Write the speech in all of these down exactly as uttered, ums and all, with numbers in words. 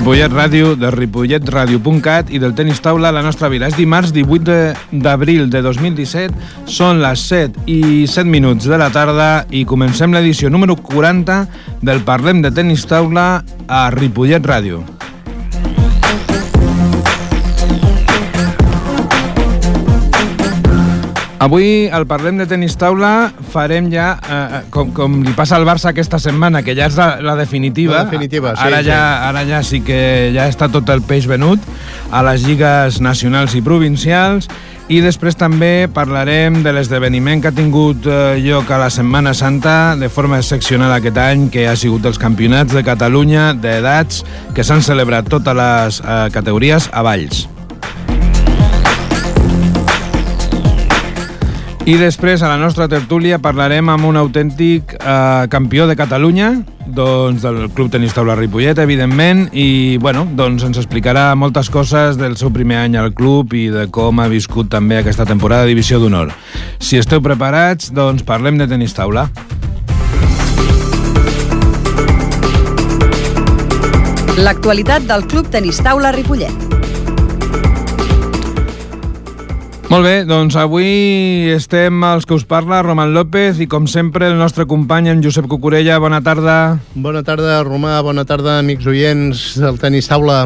Ripollet Ràdio, de ripollet ràdio punt cat i del tenis taula a la nostra vila. És dimarts divuit d'abril de dos mil disset, són les set i set minuts de la tarda i comencem l'edició número quaranta del Parlem de Tenis Taula a Ripollet Ràdio. Avui, al Parlem de Tenis Taula, farem ja, eh, com, com li passa al Barça aquesta setmana, que ja és la, la definitiva. La definitiva, sí. Ara, sí. Ja, ara ja sí que ja està tot el peix venut a les lligues nacionals i provincials. I després també parlarem de l'esdeveniment que ha tingut eh, lloc a la Setmana Santa de forma excepcional aquest any, que ha sigut els campionats de Catalunya d'edats que s'han celebrat totes les eh, categories a Valls. I després, a la nostra tertúlia, parlarem amb un autèntic eh, campió de Catalunya, doncs del Club Tenis Taula Ripollet, evidentment, i bueno, doncs ens explicarà moltes coses del seu primer any al club i de com ha viscut també aquesta temporada de Divisió d'Honor. Si esteu preparats, doncs parlem de Tenis Taula. L'actualitat del Club Tenis Taula Ripollet. Molt bé, doncs avui estem els que us parla, Roman López, i com sempre el nostre company, en Josep Cucurella. Bona tarda. Bona tarda, Romà, bona tarda, amics oients del Tenis Taula.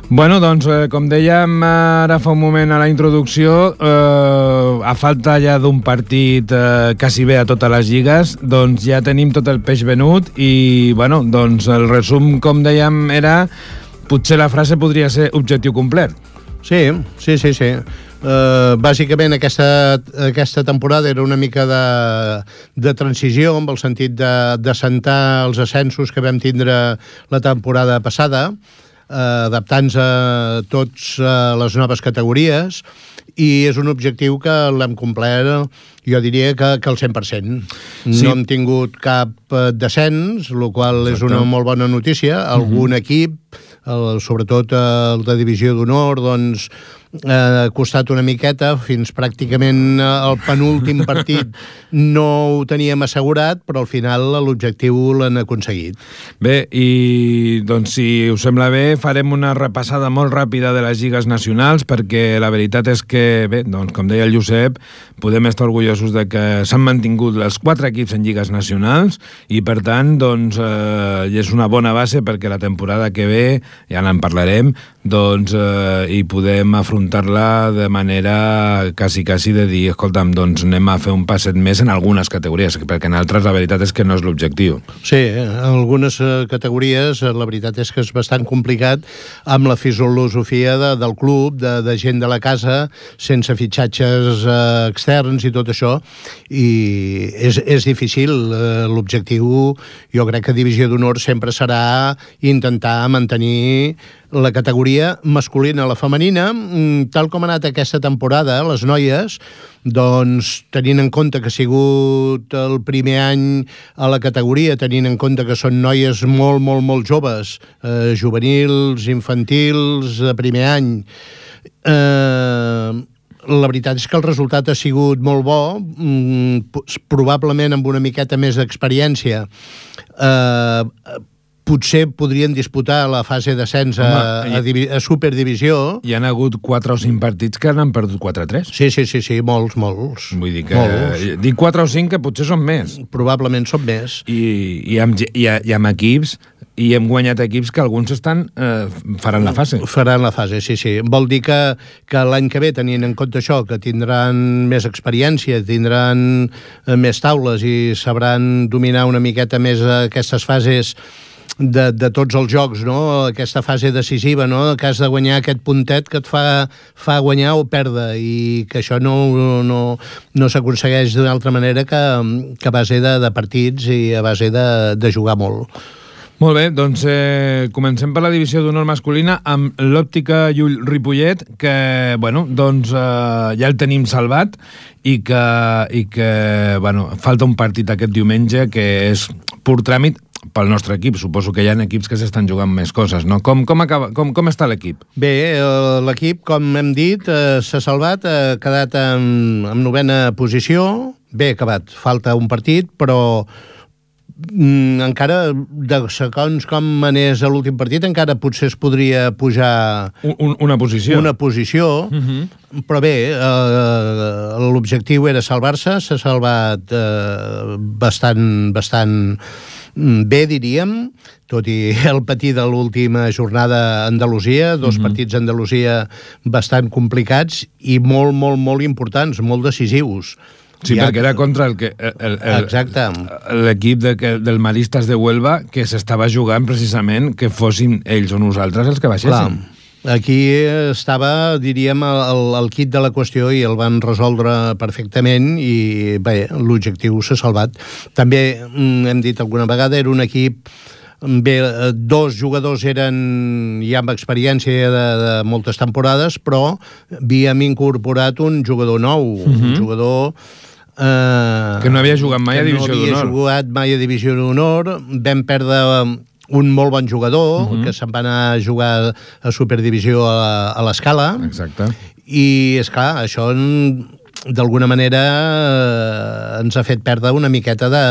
Bueno, doncs, eh, com dèiem ara fa un moment a la introducció, eh, a falta ja d'un partit eh, quasi bé a totes les lligues, doncs ja tenim tot el peix venut i, bueno, doncs el resum, com dèiem, era, potser la frase podria ser objectiu complet. Sí, sí, sí, sí. Uh, bàsicament aquesta, aquesta temporada era una mica de, de transició, amb el sentit de, de sentar els ascensos que vam tindre la temporada passada, uh, adaptant-se a tots uh, les noves categories, i és un objectiu que l'hem complert, jo diria que, que al cent per cent. Sí. No hem tingut cap uh, descens, el qual Exacte. És una molt bona notícia. Algun uh-huh. equip, el, sobretot el de Divisió d'Honor, doncs ha costat una miqueta, fins pràcticament el penúltim partit no ho teníem assegurat, però al final l'objectiu l'han aconseguit. Bé, i doncs si us sembla bé, farem una repassada molt ràpida de les lligues nacionals, perquè la veritat és que, bé, doncs com deia el Josep, podem estar orgullosos de que s'han mantingut els quatre equips en lligues nacionals i, per tant, doncs, eh, és una bona base perquè la temporada que ve, ja n'en parlarem, doncs eh, hi podem afrontar-la de manera quasi, quasi de dir, escolta'm, doncs anem a fer un passet més en algunes categories, perquè en altres la veritat és que no és l'objectiu. Sí, en algunes categories la veritat és que és bastant complicat amb la filosofia de, del club, de, de gent de la casa, sense fitxatges eh, externs i tot això, i és, és difícil. Eh, l'objectiu, jo crec que Divisió d'Honor sempre serà intentar mantenir la categoria masculina a la femenina, tal com ha anat aquesta temporada, les noies, doncs tenint en compte que ha sigut el primer any a la categoria, tenint en compte que són noies molt, molt, molt joves, eh, juvenils, infantils, de primer any, eh, la veritat és que el resultat ha sigut molt bo, probablement amb una miqueta més d'experiència, eh, potser podrien disputar la fase d'ascens a, a, a Superdivisió. Hi ha hagut quatre o cinc partits que n'han perdut quatre a tres. Sí, sí, sí, sí, molts, molts. Vull dir que... Molts. Dic quatre o cinc que potser són més. Probablement són més. I, i, amb, i, i amb equips, i hem guanyat equips que alguns estan eh, faran la fase. Faran la fase, sí, sí. Vol dir que, que l'any que ve, tenint en compte això, que tindran més experiència, tindran més taules i sabran dominar una miqueta més aquestes fases De, de tots els jocs, no? Aquesta fase decisiva, no? Que has de guanyar aquest puntet que et fa, fa guanyar o perdre, i que això no, no, no s'aconsegueix d'una altra manera que, que a base de, de partits i a base de, de jugar molt. Molt bé, doncs eh, comencem per la Divisió d'Honor masculina amb l'Òptica Llull Ripollet, que, bueno, doncs eh, ja el tenim salvat i que, i que, bueno, falta un partit aquest diumenge que és pur tràmit pel nostre equip. Suposo que hi ha equips que s'estan jugant més coses, no? Com, com, acaba, com, com està l'equip? Bé, l'equip, com hem dit, eh, s'ha salvat, ha quedat en, en novena posició. Bé acabat, falta un partit, però mm, encara, de segons com anés a l'últim partit, encara potser es podria pujar un, una posició. Una posició, uh-huh. Però bé, eh, l'objectiu era salvar-se, s'ha salvat eh, bastant, bastant bé, diríem, tot i el patir de l'última jornada a Andalusia, dos uh-huh. partits a Andalusia bastant complicats i molt, molt, molt importants, molt decisius. Sí, ja, perquè era contra el que el, el, l'equip de, del Maristas de Huelva, que s'estava jugant precisament que fossin ells o nosaltres els que baixessin. Clar. Aquí estava, diríem, el, el kit de la qüestió i el van resoldre perfectament i bé, l'objectiu s'ha salvat. També, hem dit alguna vegada, era un equip... Bé, dos jugadors eren ja amb experiència de, de moltes temporades, però havíem incorporat un jugador nou, uh-huh. un jugador... Eh, que no havia jugat mai a Divisió d'Honor. Que no havia jugat mai a Divisió d'Honor. Vam perdre un molt bon jugador, uh-huh. que se'n va anar a jugar a Superdivisió a, a l'Escala. Exacte. I, esclar, això d'alguna manera eh, ens ha fet perdre una miqueta de,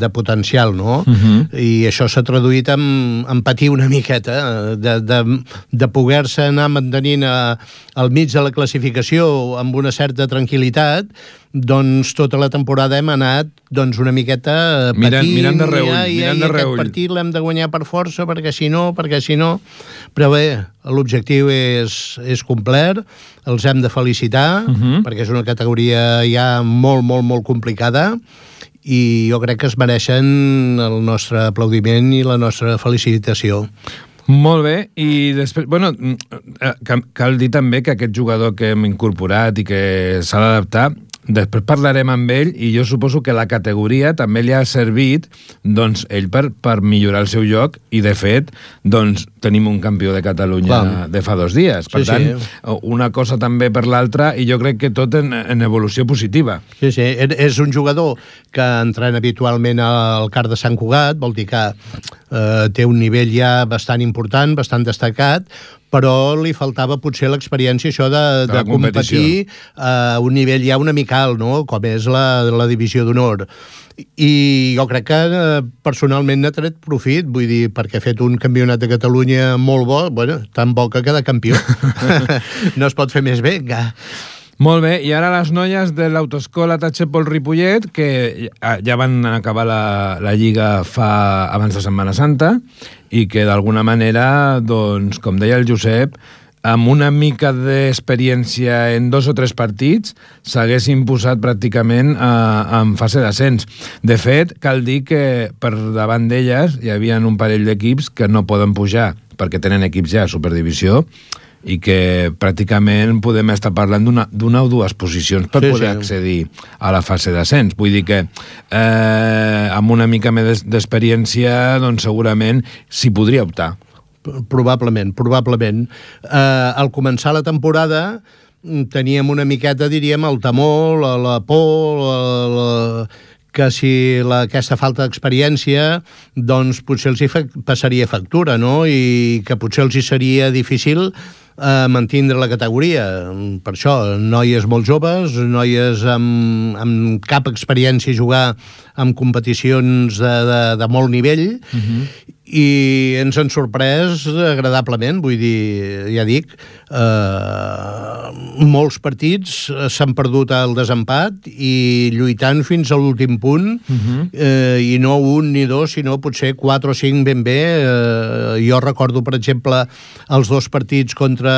de potencial, no? Uh-huh. I això s'ha traduït en, en patir una miqueta, de, de, de poder-se anar mantenint a, al mig de la classificació amb una certa tranquil·litat, doncs tota la temporada hem anat doncs una miqueta patint, mirant, mirant de reull, i, mirant i de aquest reull. partit l'hem de guanyar per força, perquè si no, perquè si no... Però bé, l'objectiu és, és complet, els hem de felicitar, uh-huh. perquè és una categoria ja molt, molt, molt complicada, i jo crec que es mereixen el nostre aplaudiment i la nostra felicitació. Molt bé, i després, bueno, cal dir també que aquest jugador que hem incorporat i que s'ha d'adaptar, després parlarem amb ell i jo suposo que la categoria també li ha servit, doncs, ell per, per millorar el seu lloc i, de fet, doncs, tenim un campió de Catalunya Clar. de fa dos dies. Per sí, tant, sí. una cosa també per l'altra i jo crec que tot en, en evolució positiva. Sí, sí, és un jugador que entrena habitualment al Car de Sant Cugat, vol dir que eh, té un nivell ja bastant important, bastant destacat, però li faltava potser l'experiència això de, de, de competir a un nivell ja una mica alt, no? Com és la, la Divisió d'Honor. I jo crec que personalment n'ha tret profit, vull dir, perquè ha fet un campionat de Catalunya molt bo, bueno, tan bo que queda campió. No es pot fer més bé, encara. Molt bé, i ara les noies de l'autoescola Tachepol Ripollet, que ja van acabar la, la lliga fa abans de Setmana Santa, i que d'alguna manera, doncs, com deia el Josep, amb una mica d'experiència en dos o tres partits, s'haguessin posat pràcticament a, en fase d'ascens. De fet, cal dir que per davant d'elles hi havia un parell d'equips que no poden pujar, perquè tenen equips ja a Superdivisió, i que pràcticament podem estar parlant d'una, d'una o dues posicions per sí, poder sí. accedir a la fase d'ascens. Vull dir que eh, amb una mica més d'experiència doncs segurament s'hi podria optar. Probablement, probablement. Eh, al començar la temporada teníem una miqueta, diríem, el temor, la, la por, la, la, que si la, aquesta falta d'experiència doncs potser els hi fa, passaria factura, no? I que potser els hi seria difícil eh, mantindre la categoria. Per això, noies molt joves, noies amb, amb cap experiència a jugar en competicions de, de, de molt nivell, uh-huh. i ens han sorprès agradablement, vull dir, ja dic, eh, molts partits s'han perdut al desempat i lluitant fins a l'últim punt, uh-huh. eh, i no un ni dos, sinó potser quatre o cinc ben bé. Eh, jo recordo, per exemple, els dos partits contra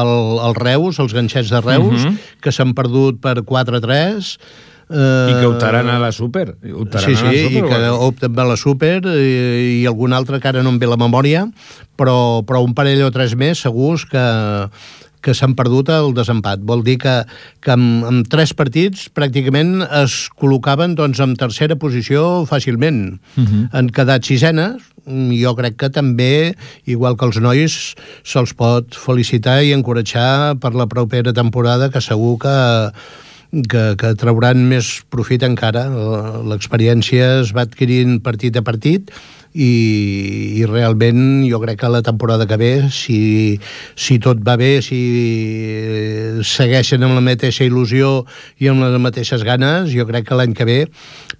el, el Reus, els ganxets de Reus, uh-huh. que s'han perdut per quatre a tres, I que optaran a la Super. Sí, sí, i que opten a la Super i, i algun altre que ara no em ve la memòria, però, però un parell o tres més segurs que, que s'han perdut el desempat. Vol dir que, que amb, amb tres partits pràcticament es col·locaven doncs, en tercera posició fàcilment. Uh-huh. Han quedat sisenes. Jo crec que també, igual que els nois, se'ls pot felicitar i encoratjar per la propera temporada, que segur que Que, que trauran més profit encara. L'experiència es va adquirint partit a partit i, i realment jo crec que la temporada que ve, si, si tot va bé, si segueixen amb la mateixa il·lusió i amb les mateixes ganes, jo crec que l'any que ve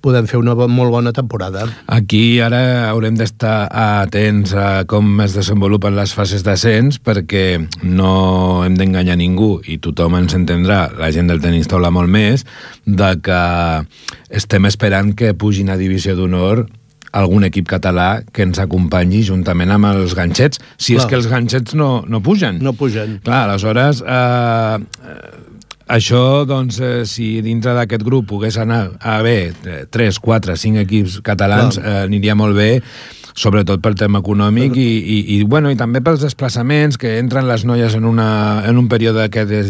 podem fer una molt bona temporada. Aquí ara haurem d'estar atents a com es desenvolupen les fases d'ascens, perquè no hem d'enganyar ningú, i tothom ens entendrà, la gent del tenis taula molt més, de que estem esperant que pugin a Divisió d'Honor algun equip català que ens acompanyi juntament amb els ganxets, si Clar. és que els ganxets no, no pugen. No pugen. Clar, aleshores, eh, això, doncs, eh, si dintre d'aquest grup pogués anar a haver tres, quatre, cinc equips catalans, eh, aniria molt bé, sobretot pel tema econòmic i, i, i, bueno, i també pels desplaçaments, que entren les noies en, una, en un període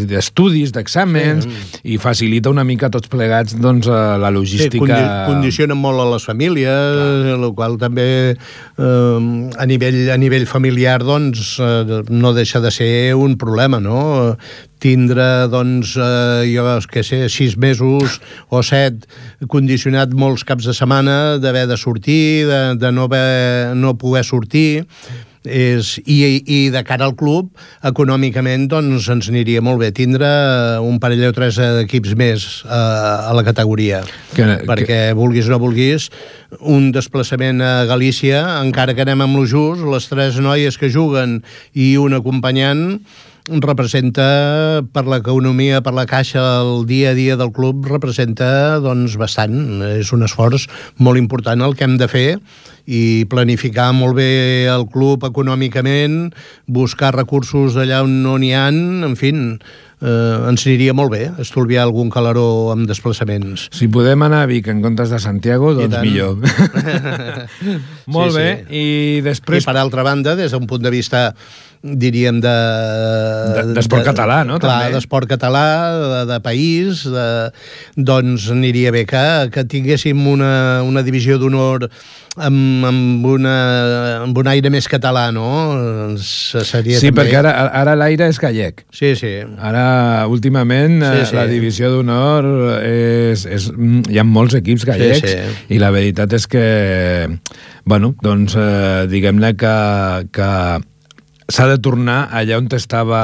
d'estudis, d'exàmens, sí. i facilita una mica tots plegats doncs, la logística. Sí, condi condicionen molt a les famílies, el qual també eh, a, nivell, a nivell familiar doncs, eh, no deixa de ser un problema, no? Tindre, doncs, eh, jo què sé, sis mesos o set, condicionat molts caps de setmana, d'haver de sortir, de, de no, haver, no poder sortir, és, i, i de cara al club, econòmicament, doncs, ens aniria molt bé tindre un parell o tres equips més a, a la categoria. Que, perquè, que... vulguis o no vulguis, un desplaçament a Galícia, encara que anem amb lo just, les tres noies que juguen i un acompanyant, representa per l'economia, per la caixa, el dia a dia del club, representa doncs bastant. És un esforç molt important el que hem de fer i planificar molt bé el club econòmicament, buscar recursos allà on no n'hi ha, en fi, eh, ens aniria molt bé estolviar algun calaró amb desplaçaments. Si podem anar a Vic en comptes de Santiago, doncs millor. Molt sí, bé, sí. I després... I per altra banda, des d'un punt de vista diríem de... D'esport de, català, no? Clar, d'esport català, de, de país, de, doncs aniria bé que, que tinguéssim una, una divisió d'honor amb, amb, una, amb un aire més català, no? Seria sí, també... perquè ara, ara l'aire és gallec. Sí, sí. Ara, últimament, sí, sí. la divisió d'honor és, és... Hi ha molts equips gallecs, sí, sí. I la veritat és que, bueno, doncs, eh, diguem-ne que... que s'ha de tornar allà on estava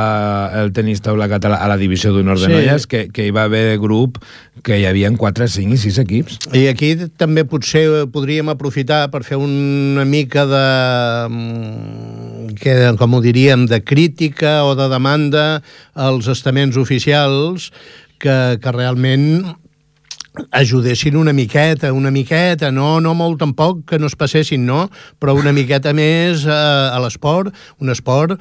el tenis taula català, a la divisió d'honor de sí. noies, que, que hi va haver grup que hi havia quatre, cinc i sis equips. I aquí també potser podríem aprofitar per fer una mica de, que, com ho diríem, de crítica o de demanda als estaments oficials que, que realment ajudessin una miqueta, una miqueta, no, no molt tampoc, que no es passessin, no? Però una miqueta més a, a l'esport, un esport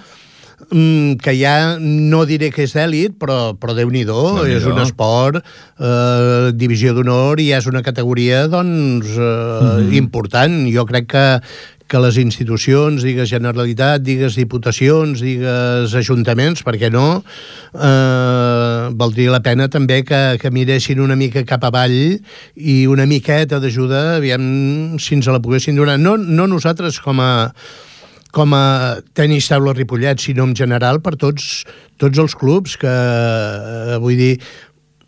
mm, que ja no diré que és d'èlit, però, però Déu-n'hi-do, és un esport, eh, divisió d'honor, i és una categoria, doncs, eh, mm-hmm. important. Jo crec que que les institucions, digues Generalitat, digues Diputacions, digues Ajuntaments, per què no, eh, valdria la pena també que, que miressin una mica cap avall i una miqueta d'ajuda, aviam si ens la poguessin donar. No, no nosaltres com a, com a tenis taula Ripollet, sinó en general per tots, tots els clubs que, eh, vull dir,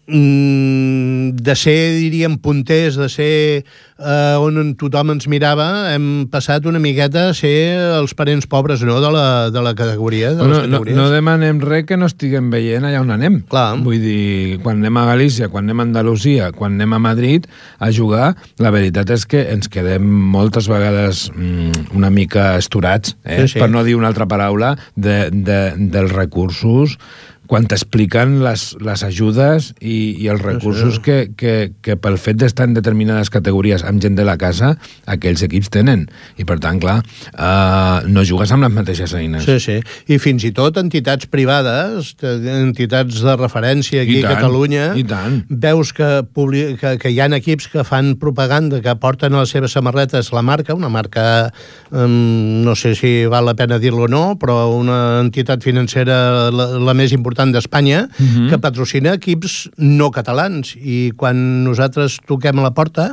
de ser, diríem, punters, de ser eh, on tothom ens mirava, hem passat una miqueta a ser els parents pobres, no?, de la, de la categoria. De no, no, no demanem res que no estiguem veient allà on anem. Clar. Vull dir, quan anem a Galícia, quan anem a Andalusia, quan anem a Madrid a jugar, la veritat és que ens quedem moltes vegades mm, una mica esturats, eh? Sí, sí. Per no dir una altra paraula, de, de, dels recursos quan t'expliquen les, les ajudes i, i els recursos que, que, que pel fet d'estar en determinades categories amb gent de la casa, aquells equips tenen. I per tant, clar, uh, no jugues amb les mateixes eines. Sí, sí. I fins i tot entitats privades, entitats de referència aquí a Catalunya, i tant. Veus que, que, que hi ha equips que fan propaganda, que porten a les seves samarretes la marca, una marca, um, no sé si val la pena dir-lo o no, però una entitat financera la, la més important d'Espanya, uh-huh. que patrocina equips no catalans, i quan nosaltres toquem a la porta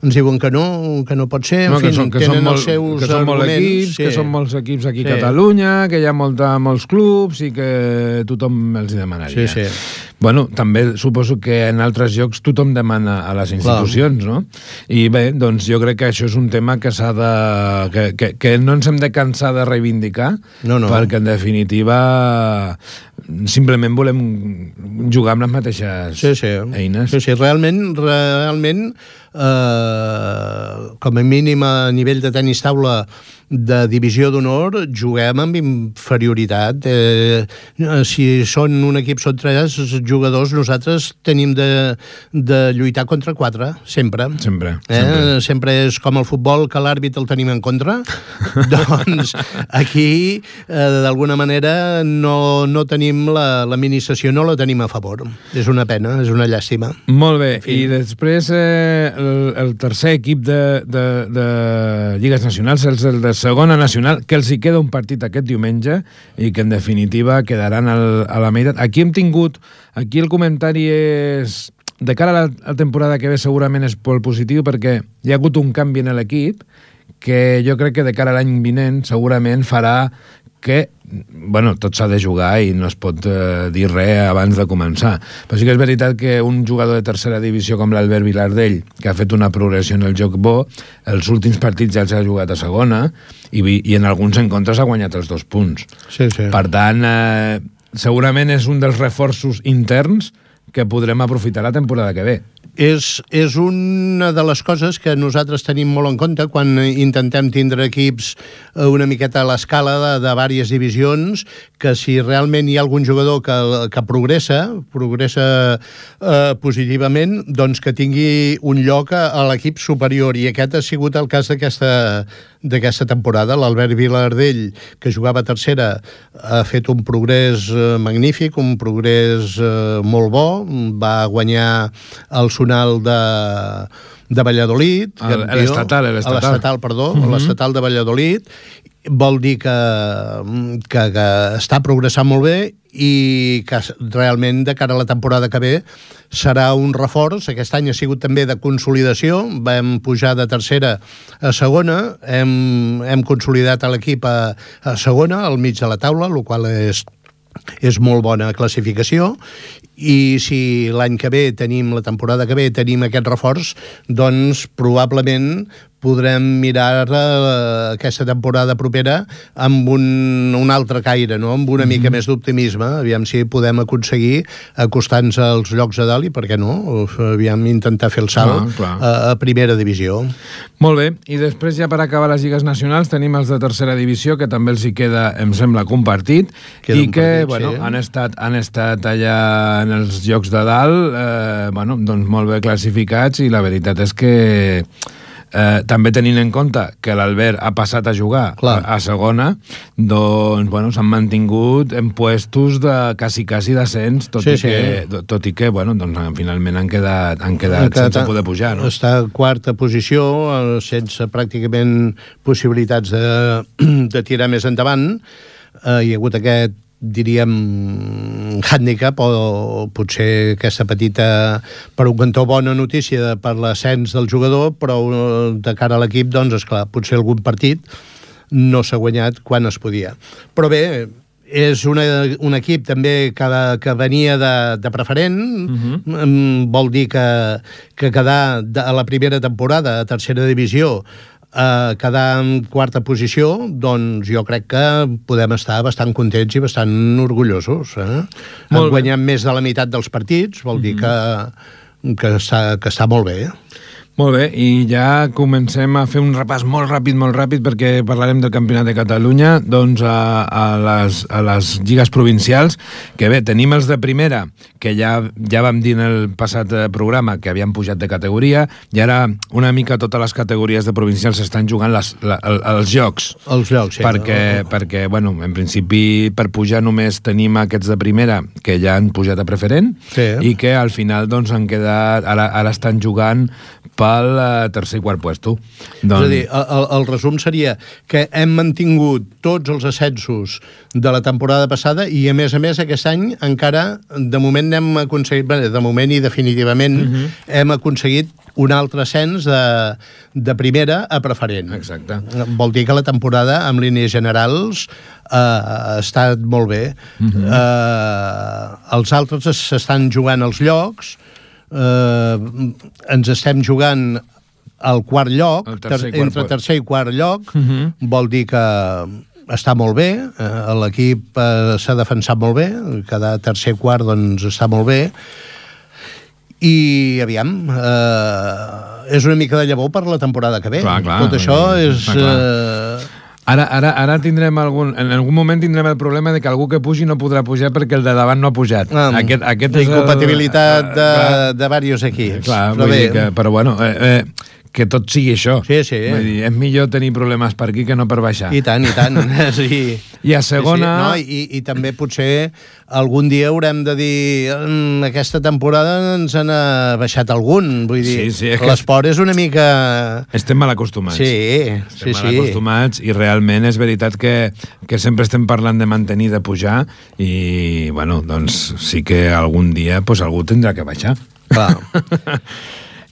ens diuen que no, que no pot ser, en no, fi, són, tenen són els seus que són arguments. Equips, sí. Que són molts equips aquí a sí. Catalunya, que hi ha molta, molts clubs i que tothom els demanaria. Sí, sí. bueno, també suposo que en altres llocs tothom demana a les institucions, Clar. no? I bé, doncs jo crec que això és un tema que s'ha de... Que, que, que no ens hem de cansar de reivindicar, no, no. perquè en definitiva simplement volem jugar amb les mateixes sí, sí. eines. Sí, sí, realment, realment eh, com a mínim a nivell de tenis taula de divisió d'honor juguem amb inferioritat. Eh, si són un equip, són tres jugadors, nosaltres tenim de, de lluitar contra quatre, sempre. Sempre. Eh? sempre. Sempre és com el futbol, que l'àrbit el tenim en contra. Doncs aquí, eh, d'alguna manera, no, no tenim la, l'administració, no la tenim a favor. És una pena, és una llàstima. Molt bé, i després eh, el, el tercer equip de, de, de Lligues Nacionals, els el de segona nacional, que els hi queda un partit aquest diumenge i que en definitiva quedaran al, a la meitat. Aquí hem tingut, aquí el comentari és, de cara a la, a la temporada que ve segurament és molt positiu perquè hi ha hagut un canvi en l'equip que jo crec que de cara a l'any vinent segurament farà que, bueno, tot s'ha de jugar i no es pot eh, dir res abans de començar. Però sí que és veritat que un jugador de tercera divisió com l'Albert Vilardell, que ha fet una progressió en el joc bo, els últims partits ja els ha jugat a segona i, i en alguns encontres ha guanyat els dos punts. Sí, sí. Per tant, eh, segurament és un dels reforços interns que podrem aprofitar la temporada que ve. És, és una de les coses que nosaltres tenim molt en compte quan intentem tindre equips una miqueta a l'escala de, de diverses divisions, que si realment hi ha algun jugador que, que progressa, progressa eh, positivament, doncs que tingui un lloc a, a l'equip superior, i aquest ha sigut el cas d'aquesta d'aquesta temporada. L'Albert Vilardell, que jugava a tercera, ha fet un progrés eh, magnífic, un progrés eh, molt bo, va guanyar el Sonal de, de Valladolid, el, l'estatal, l'estatal. l'estatal, perdó, uh-huh. l'estatal de Valladolid. Vol dir que, que, que està progressant molt bé i que realment de cara a la temporada que ve serà un reforç. Aquest any ha sigut també de consolidació, vam pujar de tercera a segona, hem, hem consolidat l'equip a, a segona, al mig de la taula, el qual és és molt bona classificació, i si l'any que ve tenim, la temporada que ve, tenim aquest reforç, doncs probablement podrem mirar uh, aquesta temporada propera amb un, un altre caire, no? Amb una mm-hmm. mica més d'optimisme, aviam si podem aconseguir acostar-nos als llocs de dalt i, per què no, aviam intentar fer el salt ah, a, a primera divisió. Molt bé, i després ja per acabar les lligues nacionals tenim els de tercera divisió, que també els hi queda, em sembla, compartit, queda i que, partit, bueno, sí. han estat, han estat allà en els llocs de dalt, eh, bueno, doncs molt bé classificats, i la veritat és que Eh, també tenint en compte que l'Albert ha passat a jugar a, a segona, doncs bueno, s'han mantingut en puestos de quasi quasi descens, tot, sí, i, que, sí. tot i que bueno, doncs, finalment han quedat, han quedat, han quedat sense poder pujar, no? Està a quarta posició, sense pràcticament possibilitats de, de tirar més endavant. Eh, hi ha hagut aquest, diríem, handicap, o potser aquesta petita, per un cantó, bona notícia per l'ascens del jugador, però de cara a l'equip, doncs, esclar, potser algun partit no s'ha guanyat quan es podia. Però bé, és una, un equip també que, que venia de, de preferent, uh-huh. vol dir que, que quedar de, a la primera temporada a tercera divisió, Uh, quedar en quarta posició, doncs jo crec que podem estar bastant contents i bastant orgullosos. Eh? Han guanyat més de la meitat dels partits, vol dir mm-hmm. que, que, està, que està molt bé. Molt bé, i ja comencem a fer un repàs molt ràpid, molt ràpid, perquè parlarem del Campionat de Catalunya, doncs a, a, les, a les lligues provincials, que bé, tenim els de primera, que ja, ja vam dir en el passat programa que havien pujat de categoria, i ara una mica totes les categories de provincials estan jugant les, la, els jocs. Els jocs, sí. Perquè, no? perquè, bueno, en principi, per pujar només tenim aquests de primera, que ja han pujat a preferent, sí. i que al final, doncs, han quedat, ara, ara estan jugant pel uh, tercer i quart puesto. Doncs... És a dir, el, el resum seria que hem mantingut tots els ascensos de la temporada passada i, a més a més, aquest any encara, de moment, hem aconseguit, bé, de moment i definitivament, uh-huh. hem aconseguit un altre ascens de, de primera a preferent. Exacte. Vol dir que la temporada, en línies generals, eh, ha estat molt bé. Uh-huh. Eh, els altres s'estan jugant els llocs, eh, ens estem jugant al quart lloc, el tercer ter entre quart... tercer i quart lloc, uh-huh. vol dir que està molt bé, eh, l'equip eh, s'ha defensat molt bé, cada tercer quart doncs està molt bé, i aviam, eh, és una mica de llavor per la temporada que ve. Clar, clar, tot això és... Eh... Ara, ara, ara tindrem algun... En algun moment tindrem el problema de que algú que pugi no podrà pujar perquè el de davant no ha pujat. Ah, aquest, aquest la incompatibilitat el... de, de diversos equips. Clar, però, vull bé. dir que, però bueno, eh, eh, que tot sigui això. Sí, sí. Vull dir, és millor tenir problemes per aquí que no per baixar. I tant, i tant. sí. I a segona... Sí, sí. No, i, I també potser algun dia haurem de dir en aquesta temporada ens han baixat algun. Vull dir, sí, sí, l'esport és una mica... Estem mal acostumats. Sí, estem sí, mal acostumats i realment és veritat que, que sempre estem parlant de mantenir, de pujar i, bueno, doncs sí que algun dia pues, algú tindrà que baixar. Clar.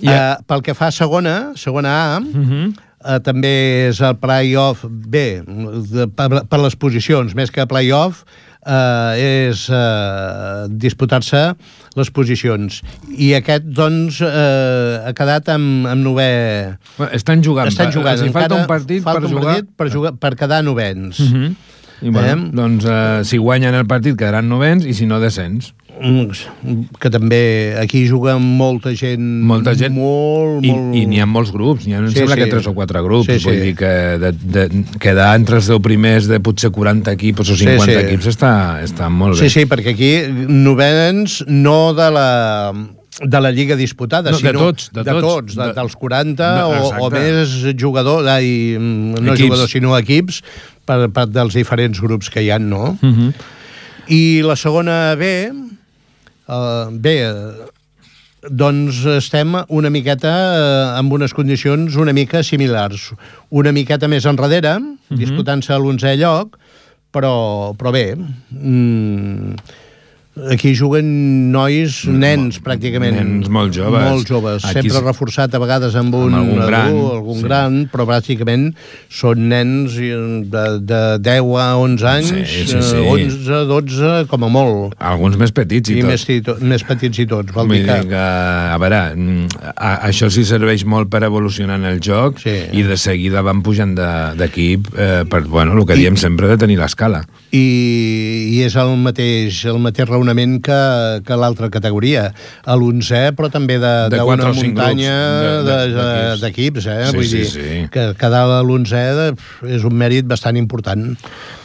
Yeah. Uh, pel que fa a segona, segona A, uh-huh. uh, també és el play-off B, de, per, per les posicions, més que play-off, uh, és uh, disputar-se les posicions. I aquest, doncs, uh, ha quedat amb, amb novè... Bueno, estan jugant. Estan jugant. Si falta un partit falta per un jugar... Partit per, jugar, per quedar novens. Uh-huh. I bueno, eh? doncs uh, si guanyen el partit quedaran novens i si no descens. Que també aquí juga molta gent, molta gent molt, i, molt... i n'hi ha molts grups, n'hi ha, em sí, sembla sí. que tres o quatre grups, sí, vull sí. dir que de, de, quedar entre els deu primers de potser quaranta equips o cinquanta sí, sí. equips està, està molt bé. Sí, sí, perquè aquí novens no de la de la lliga disputada, no, sinó de tots, de, de tots, tots de, dels quaranta no, o, o més jugadors, ai, no equips. jugadors, sinó equips per, per dels diferents grups que hi ha, no? Uh-huh. I la segona B, uh, bé, uh, doncs estem una miqueta uh, amb unes condicions una mica similars. Una miqueta més enrere, uh-huh. disputant-se a l'onzè lloc, però, però bé... Mm, aquí juguen nois, nens, pràcticament. Nens molt joves. Molt joves. Aquí sempre reforçat a vegades amb un amb algun gran, adult, algun sí. gran, però pràcticament són nens de, de deu a onze anys, sí, sí, sí. onze, dotze, com a molt. Alguns més petits i, I tot. més, to, més petits i tots. Vol dir dir que... que, a veure, a, això sí serveix molt per evolucionar en el joc sí. i de seguida van pujant d'equip de, eh, per, bueno, el que I, diem sempre de tenir l'escala. I, I és el mateix, el mateix raonament que, que l'altra categoria. A l'onzè, però també d'una muntanya d'equips, de, de, eh? Sí, Vull sí, dir sí. que quedar a l'onzè és un mèrit bastant important.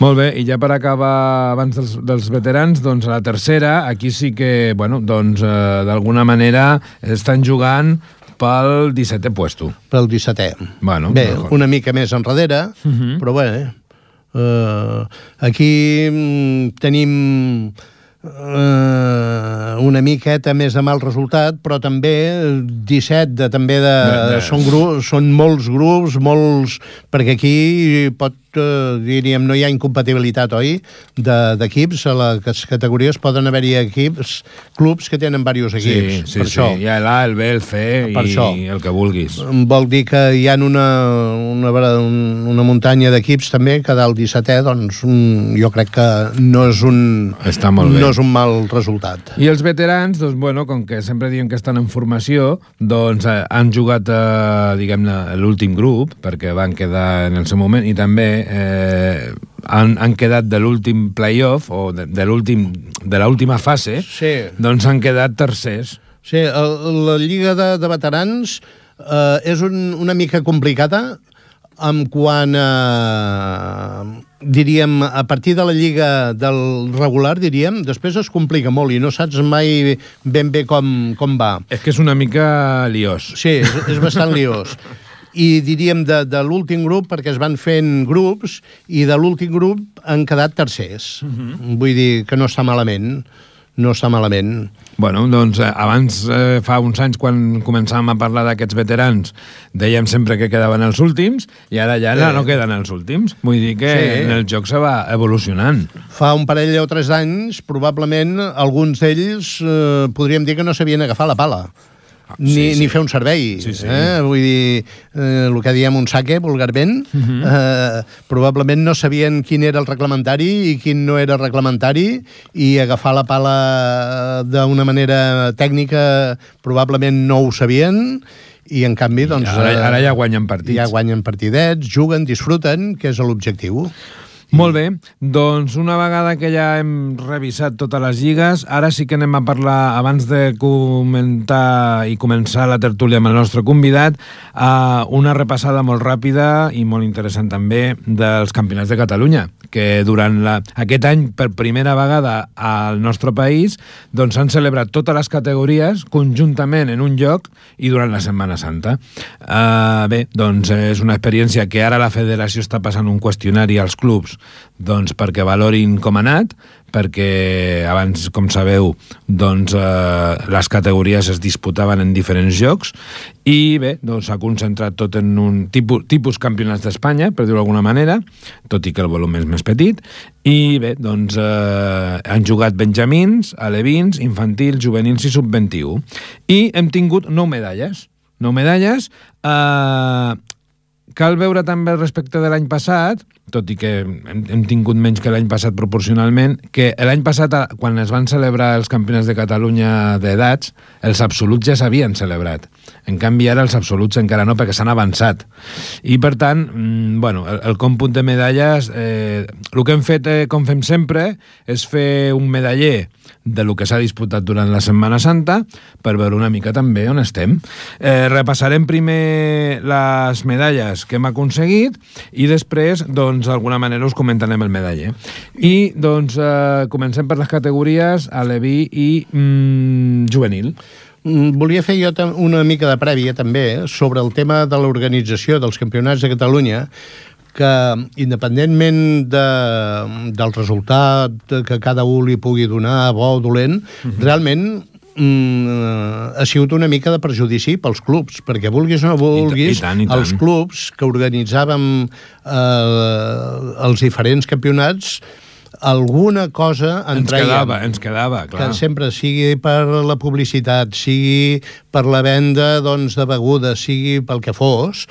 Molt bé, i ja per acabar abans dels, dels veterans, doncs a la tercera, aquí sí que, bueno, doncs eh, d'alguna manera estan jugant pel dissetè puesto. Pel dissetè. Bueno, bé, mejor. Una mica més enrere, uh-huh. però bé, uh, aquí mm, tenim Uh, una miqueta més de mal resultat, però també disset de, també de, de, de... Són, grups, són molts grups, molts, perquè aquí pot, uh, diríem, no hi ha incompatibilitat, oi? D'equips, de, a les categories poden haver-hi equips, clubs que tenen diversos equips. Sí, sí, per sí. això. Hi ha l'A, el B, el C i això. el que vulguis. Vol dir que hi ha una, una, una muntanya d'equips també, que del dissetè, doncs, jo crec que no és un... Està molt bé. No és un mal resultat. I els veterans, doncs, bueno, com que sempre diem que estan en formació, doncs eh, han jugat, eh, diguem-ne, l'últim grup, perquè van quedar en el seu moment, i també eh, han, han quedat de l'últim play-off, o de, de l'últim de l'última fase, sí. Doncs han quedat tercers. Sí, el, la Lliga de, de Veterans eh, és un, una mica complicada, en quant a, diríem, a partir de la lliga del regular, diríem, després es complica molt i no saps mai ben bé com, com va. És que és una mica liós. Sí, és, és bastant liós. I diríem de, de l'últim grup, perquè es van fent grups, i de l'últim grup han quedat tercers. Uh-huh. Vull dir que no està malament. no està malament. Bueno, doncs eh, abans, eh, fa uns anys, quan començàvem a parlar d'aquests veterans, dèiem sempre que quedaven els últims, i ara ja no, no queden els últims. Vull dir que sí. En el joc se va evolucionant. Fa un parell o tres anys, probablement, alguns d'ells eh, podríem dir que no sabien agafar la pala. Ni, sí, sí. ni fer un servei. Sí, sí. Eh? Vull dir, eh, el que diem un saque, vulgarment, uh -huh. eh, probablement no sabien quin era el reglamentari i quin no era el reglamentari, i agafar la pala d'una manera tècnica probablement no ho sabien, i en canvi, doncs... Ara, ara ja guanyen partits. Ja guanyen partidets, juguen, disfruten, que és l'objectiu. Molt bé, doncs una vegada que ja hem revisat totes les lligues, ara sí que anem a parlar, abans de comentar i començar la tertúlia amb el nostre convidat, uh, una repassada molt ràpida i molt interessant també dels campionats de Catalunya, que durant la, aquest any, per primera vegada al nostre país, doncs s'han celebrat totes les categories conjuntament en un lloc i durant la Setmana Santa. Uh, bé, doncs és una experiència que ara la federació està passant un qüestionari als clubs, doncs perquè valorin com ha anat, perquè abans, com sabeu, doncs eh, les categories es disputaven en diferents jocs, i bé, doncs s'ha concentrat tot en un tipus, tipus campionats d'Espanya, per dir-ho d'alguna manera, tot i que el volum és més petit, i bé, doncs eh, han jugat benjamins, alevins, infantils, juvenils i sub vint i u, i hem tingut nou medalles, nou medalles, eh, cal veure també respecte de l'any passat, tot i que hem, hem tingut menys que l'any passat proporcionalment, que l'any passat, quan es van celebrar els campionats de Catalunya d'edats, els absoluts ja s'havien celebrat. En canvi, ara els absoluts encara no, perquè s'han avançat. I, per tant, mmm, bueno, el, el còmput de medalles, eh, el que hem fet, eh, com fem sempre, és fer un medaller de lo que s'ha disputat durant la Setmana Santa, per veure una mica també on estem. Eh, repassarem primer les medalles que hem aconseguit i després, doncs, d'alguna manera us comentarem el medaller. I, doncs, eh, comencem per les categories aleví i mm, juvenil. Volia fer jo una mica de prèvia, també, sobre el tema de l'organització dels campionats de Catalunya, que independentment de, del resultat que cada un li pugui donar, bo o dolent, uh-huh. realment mm, ha sigut una mica de perjudici pels clubs, perquè vulguis o no vulguis, I, i tant, i tant. Els clubs que organitzàvem eh, els diferents campionats, alguna cosa en ens traiem, quedava, ens quedava, clar. Que sempre sigui per la publicitat, sigui per la venda, doncs, de begudes, sigui pel que fos,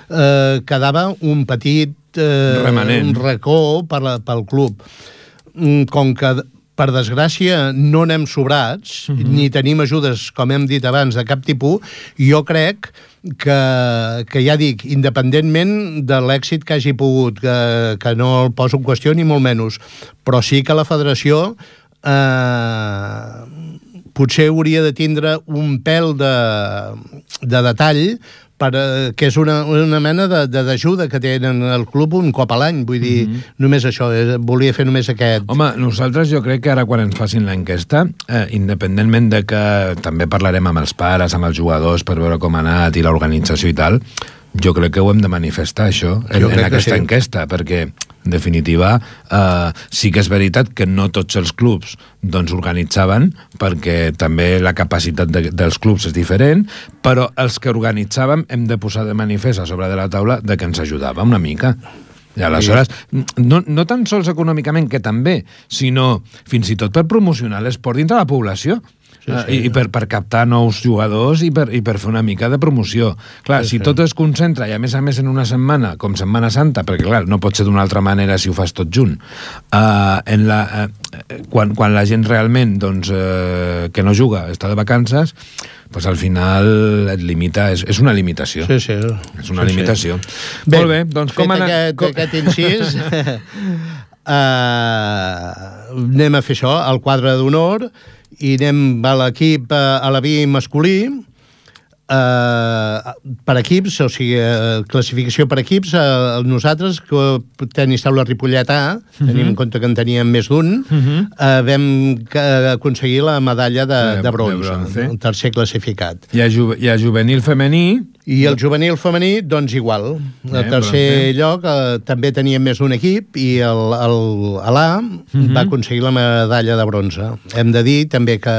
eh, quedava un petit eh, remanent, un racó per la, pel club. Com que, per desgràcia, no anem sobrats, uh-huh. ni tenim ajudes, com hem dit abans, de cap tipus, jo crec que, que ja dic, independentment de l'èxit que hagi pogut, que, que no el poso en qüestió ni molt menys, però sí que la federació eh, potser hauria de tindre un pèl de, de detall, per, que és una, una mena d'ajuda que tenen el club un cop a l'any, vull dir, mm-hmm. només això, volia fer només aquest... Home, nosaltres jo crec que ara quan ens facin l'enquesta, eh, independentment de que també parlarem amb els pares, amb els jugadors, per veure com ha anat i l'organització i tal, jo crec que ho hem de manifestar, això, en, en aquesta sí. enquesta, perquè, en definitiva, eh, sí que és veritat que no tots els clubs doncs organitzaven, perquè també la capacitat de, dels clubs és diferent, però els que organitzàvem hem de posar de manifest a sobre de la taula de que ens ajudava una mica. I aleshores, no, no tan sols econòmicament, que també, sinó fins i tot per promocionar l'esport dintre la població. Sí, sí. I, i per, per captar nous jugadors i per, i per fer una mica de promoció. Clar, sí, si sí. tot es concentra, i a més a més en una setmana, com Setmana Santa, perquè clar, no pot ser d'una altra manera si ho fas tot junt, uh, en la, uh, quan, quan la gent realment doncs, uh, que no juga està de vacances, pues al final et limita, és, és una limitació. Sí, sí. És una sí, limitació. Sí. Bé, molt bé, doncs fet com anar... aquest, com... aquest incís, uh, anem a fer això, el quadre d'honor, i anem a l'equip a l'Aleví masculí, eh, per equips, o sigui, classificació per equips, eh, nosaltres, que tenis taula Ripollet A, uh-huh. tenim en compte que en teníem més d'un, uh-huh. eh, vam aconseguir la medalla de, de, bronze, de bronze, un tercer classificat. Hi ha, ju hi ha juvenil femení, I el juvenil femení, doncs igual. El tercer lloc eh, també teníem més d'un equip i el, el, l'A uh-huh. va aconseguir la medalla de bronze. Hem de dir també que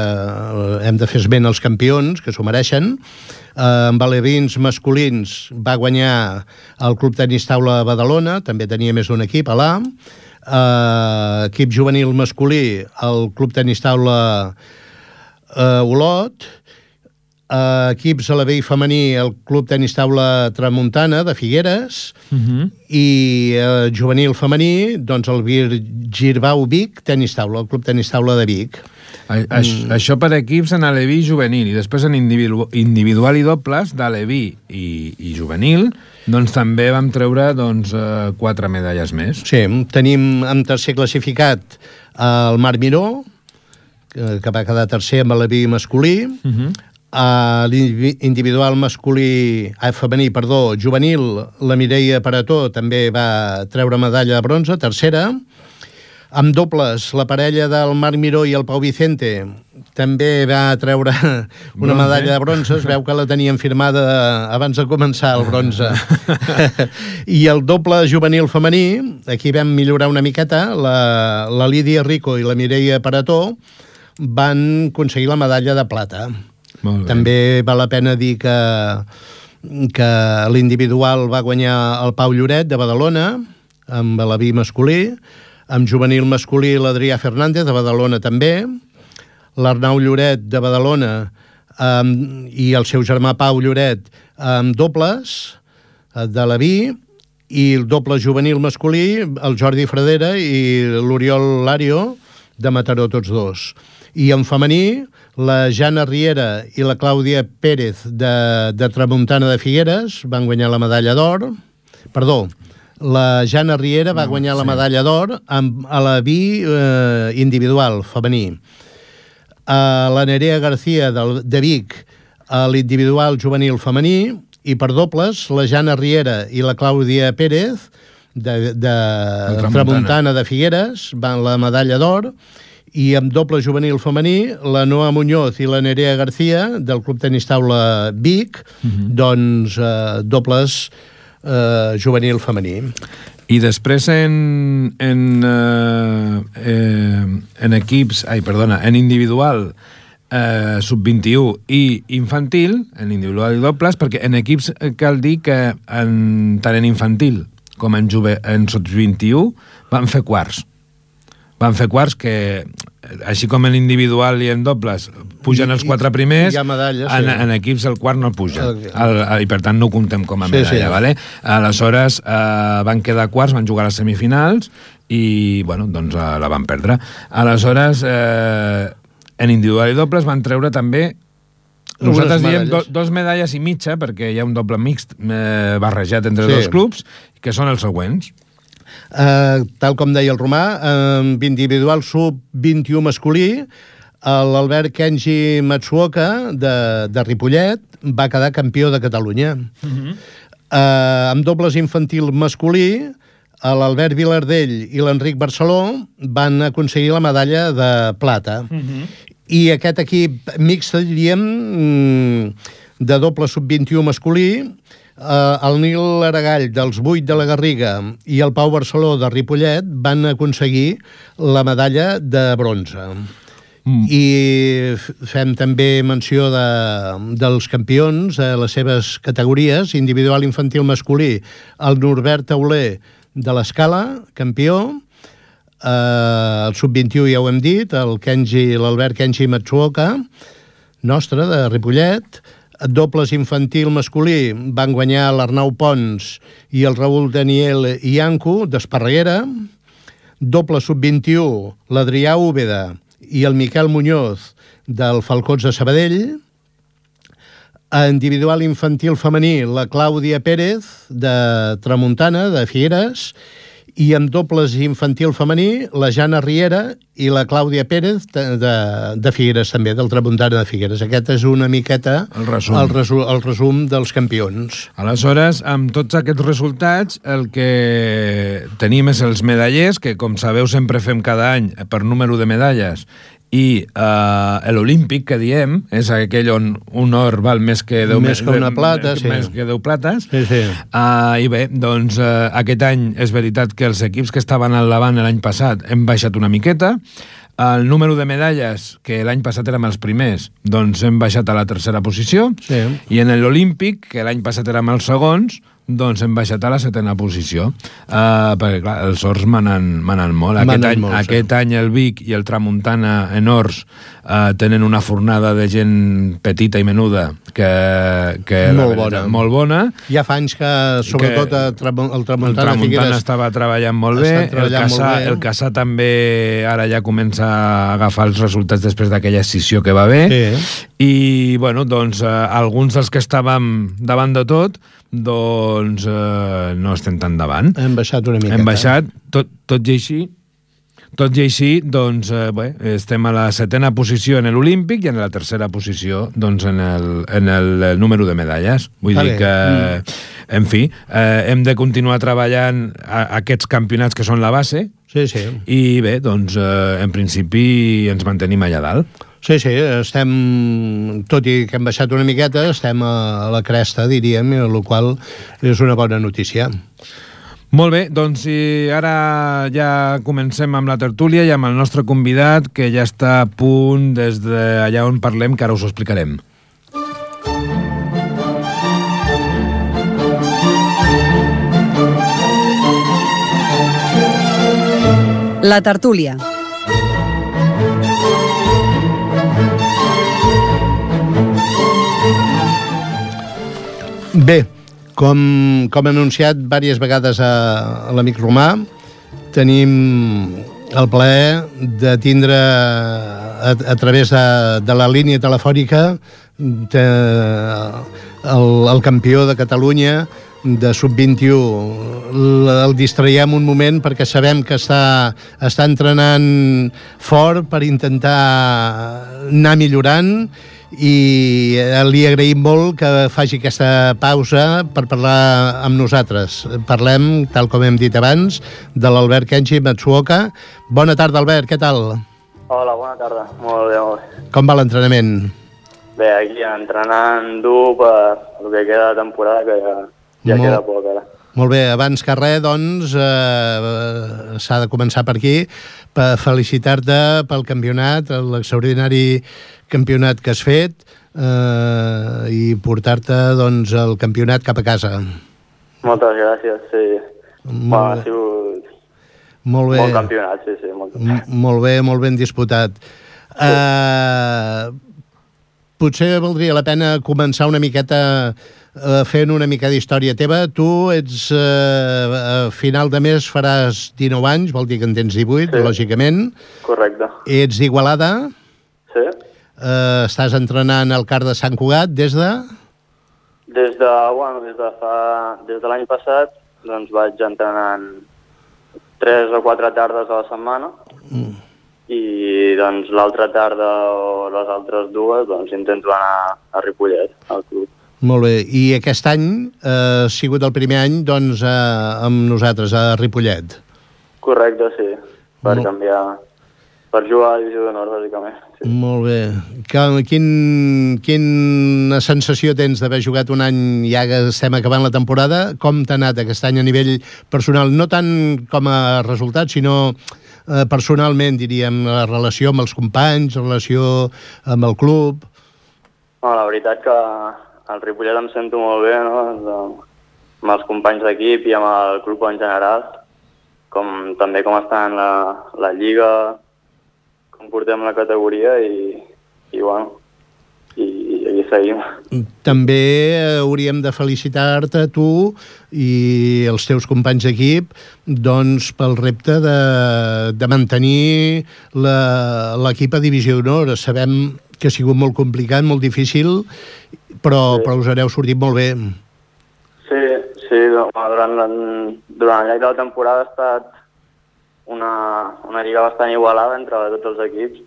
hem de fer esment als campions, que s'ho mereixen. Eh, amb alevins masculins va guanyar el Club Tenis Taula Badalona, també tenia més d'un equip, a l'A. Eh, equip juvenil masculí, el Club Tenis Taula eh, Olot. Uh, equips a la B I femení, el Club Tenis Taula Tramuntana de Figueres, uh-huh. i uh, juvenil femení, doncs el Girbau Vic Tenis Taula, el Club Tenis Taula de Vic. A, a, mm. Això per equips en aleví i juvenil, i després en individu individual i dobles d'aleví i, i juvenil, doncs també vam treure doncs, uh, quatre medalles més. Sí, tenim en tercer classificat el Marc Miró, que, que va quedar tercer amb aleví masculí, uh-huh. Uh, l'individual masculí, ah, femení, perdó, juvenil, la Mireia Parató també va treure medalla de bronze, tercera. Amb dobles, la parella del Marc Miró i el Pau Vicente també va treure una medalla de bronze. Es veu que la tenien firmada abans de començar el bronze. I el doble juvenil femení, aquí vam millorar una miqueta, la, la Lídia Rico i la Mireia Parató van aconseguir la medalla de plata. També val la pena dir que, que l'individual va guanyar el Pau Lloret de Badalona, amb l'Aví masculí, amb juvenil masculí l'Adrià Fernández de Badalona també, l'Arnau Lloret de Badalona um, i el seu germà Pau Lloret amb dobles de l'Aví, i el doble juvenil masculí, el Jordi Fradera i l'Oriol Lario de Mataró, tots dos. I en femení, la Jana Riera i la Clàudia Pérez de, de Tramuntana de Figueres van guanyar la medalla d'or. Perdó, la Jana Riera va guanyar la medalla d'or amb a la B I eh, individual, femení. Uh, la Nerea García de, de Vic, a l'individual juvenil femení, i per dobles, la Jana Riera i la Clàudia Pérez de, de, de Tramuntana de Figueres van la medalla d'or. I amb doble juvenil femení, la Noa Muñoz i la Nerea García, del Club Tenis Taula Vic, uh-huh. doncs eh, dobles eh, juvenil femení. I després en, en, eh, eh, en equips, ai, perdona, en individual, eh, sub vint-i-u i infantil, en individual i dobles, perquè en equips cal dir que en, tant en infantil com en, juve, en sub vint-i-u van fer quarts. Van fer quarts que, així com en individual i en dobles, pugen els quatre primers, medalles, sí. en, en equips el quart no puja. El, el, el, I per tant no ho comptem com a medalla. Sí, sí. Vale? Aleshores eh, van quedar quarts, van jugar a les semifinals i bueno, doncs, eh, la van perdre. Aleshores, eh, en individual i dobles van treure també, nosaltres diem do, dos medalles i mitja, perquè hi ha un doble mixt eh, barrejat entre sí. dos clubs, que són els següents. Uh, tal com deia el Romà, amb uh, individual sub vint-i-u masculí, l'Albert Kenji Matsuoka de, de Ripollet va quedar campió de Catalunya. Uh-huh. uh, amb dobles infantil masculí, l'Albert Vilardell i l'Enric Barceló van aconseguir la medalla de plata. Uh-huh. I aquest equip mixt, diríem, de doble sub vint-i-u masculí, Uh, el Nil Aragall dels vuit de la Garriga i el Pau Barceló de Ripollet van aconseguir la medalla de bronze. Mm. I fem també menció de, dels campions a les seves categories, individual infantil masculí, el Norbert Tauler de l'Escala, campió, uh, el sub vint-i-u ja ho hem dit, el Kenji, l'Albert Kenji Matsuoka, nostre, de Ripollet. Dobles infantil masculí van guanyar l'Arnau Pons i el Raül Daniel Iancu d'Esparreguera. Doble sub vint-i-u, l'Adrià Úbeda i el Miquel Muñoz del Falcons de Sabadell. Individual infantil femení, la Clàudia Pérez de Tramuntana, de Figueres. I amb dobles infantil femení, la Jana Riera i la Clàudia Pérez de, de, de Figueres, també, del Tramuntana de Figueres. Aquest és una miqueta el resum. El, resu, el resum dels campions. Aleshores, amb tots aquests resultats, el que tenim és els medallers, que com sabeu sempre fem cada any per número de medalles, i uh, l'olímpic, que diem, és aquell on un or val més que deu, més que una plata, més, sí. més que deu plates. Sí, sí. Uh, I bé, doncs uh, aquest any és veritat que els equips que estaven al davant l'any passat hem baixat una miqueta. El número de medalles, que l'any passat érem els primers, doncs hem baixat a la tercera posició. Sí. I en l'olímpic, que l'any passat érem els segons, doncs hem baixat a la setena posició. Uh, perquè, clar, els horts manen, manen molt. Aquest, Manen any, molt, aquest sí. any el Vic i el Tramuntana en horts uh, tenen una fornada de gent petita i menuda que, que molt, veritat, bona. molt bona. Ja fa anys que, sobretot, que el, Tram el Tramuntana, el Tramuntana Figueres estava treballant molt bé. El Cassà, el Cassà també ara ja comença a agafar els resultats després d'aquella escissió que va haver. Sí. I, bueno, doncs, uh, alguns dels que estàvem davant de tot, doncs eh, no estem tan davant. Hem baixat una miqueta. Hem baixat, tot, tot i així, tot i així, doncs, eh, bé, estem a la setena posició en l'Olímpic i en la tercera posició, doncs, en el, en el número de medalles. Vull Vale. dir que, mm. en fi, eh, hem de continuar treballant a, a aquests campionats que són la base. Sí, sí. I bé, doncs, eh, en principi ens mantenim allà dalt. Sí, sí, estem, tot i que hem baixat una miqueta, estem a la cresta, diríem, el qual és una bona notícia. Molt bé, doncs si ara ja comencem amb la tertúlia i amb el nostre convidat, que ja està a punt des d'allà on parlem, que ara us ho explicarem. La tertúlia. Bé, com, com he anunciat diverses vegades a, a l'amic Romà, tenim el plaer de tindre a, a través de, de la línia telefònica de, el, el campió de Catalunya de sub vint-i-u. El distraiem un moment perquè sabem que està, està entrenant fort per intentar anar millorant, i li agraïm molt que faci aquesta pausa per parlar amb nosaltres. Parlem, tal com hem dit abans, de l'Albert Kenji Matsuoka. Bona tarda, Albert, què tal? Hola, bona tarda. Molt bé, molt bé. Com va l'entrenament? Bé, aquí entrenant dur per el que queda de temporada, que ja, ja molt, queda poc ara. Molt bé, abans que res, doncs, eh, s'ha de començar per aquí, per felicitar-te pel campionat, l'extraordinari campionat que has fet, eh, i portar-te, doncs, el campionat cap a casa. Moltes gràcies, sí. Molt, bueno, ha sigut molt bé. Bon campionat, sí, sí. Molt, molt bé, molt ben disputat. Sí. Eh, potser valdria la pena començar una miqueta eh, fent una mica d'història teva. Tu ets, eh, a final de mes faràs dinou anys, vol dir que en tens divuit, sí. Lògicament. Correcte. Ets d'Igualada. Sí. Eh, estàs entrenant al CAR de Sant Cugat des de... Des de, bueno, des de fa... Des de l'any passat, doncs vaig entrenant tres o quatre tardes a la setmana, mm. i doncs l'altra tarda o les altres dues doncs intento anar a Ripollet, al club. Molt bé. I aquest any eh, ha sigut el primer any, doncs, eh, amb nosaltres, a Ripollet. Correcte, sí. Per Molt... canviar... Per jugar a la divisió d'honor, bàsicament. Sí. Molt bé. Quin, quina sensació tens d'haver jugat un any, ja que estem acabant la temporada? Com t'ha anat aquest any a nivell personal? No tant com a resultat, sinó eh, personalment, diríem, la relació amb els companys, la relació amb el club. No, la veritat que al Ripollet em sento molt bé, no? Amb els companys d'equip i amb el club en general, com també com està en la, la lliga, com portem la categoria i, i bueno, i, i aquí seguim. També hauríem de felicitar-te tu i els teus companys d'equip, doncs, pel repte de, de mantenir l'equip a divisió d'honor. Sabem que ha sigut molt complicat, molt difícil, però, sí. però us hereu sortit molt bé. Sí, sí, durant, la, durant el llarg de la temporada ha estat una, una lliga bastant igualada entre tots els equips,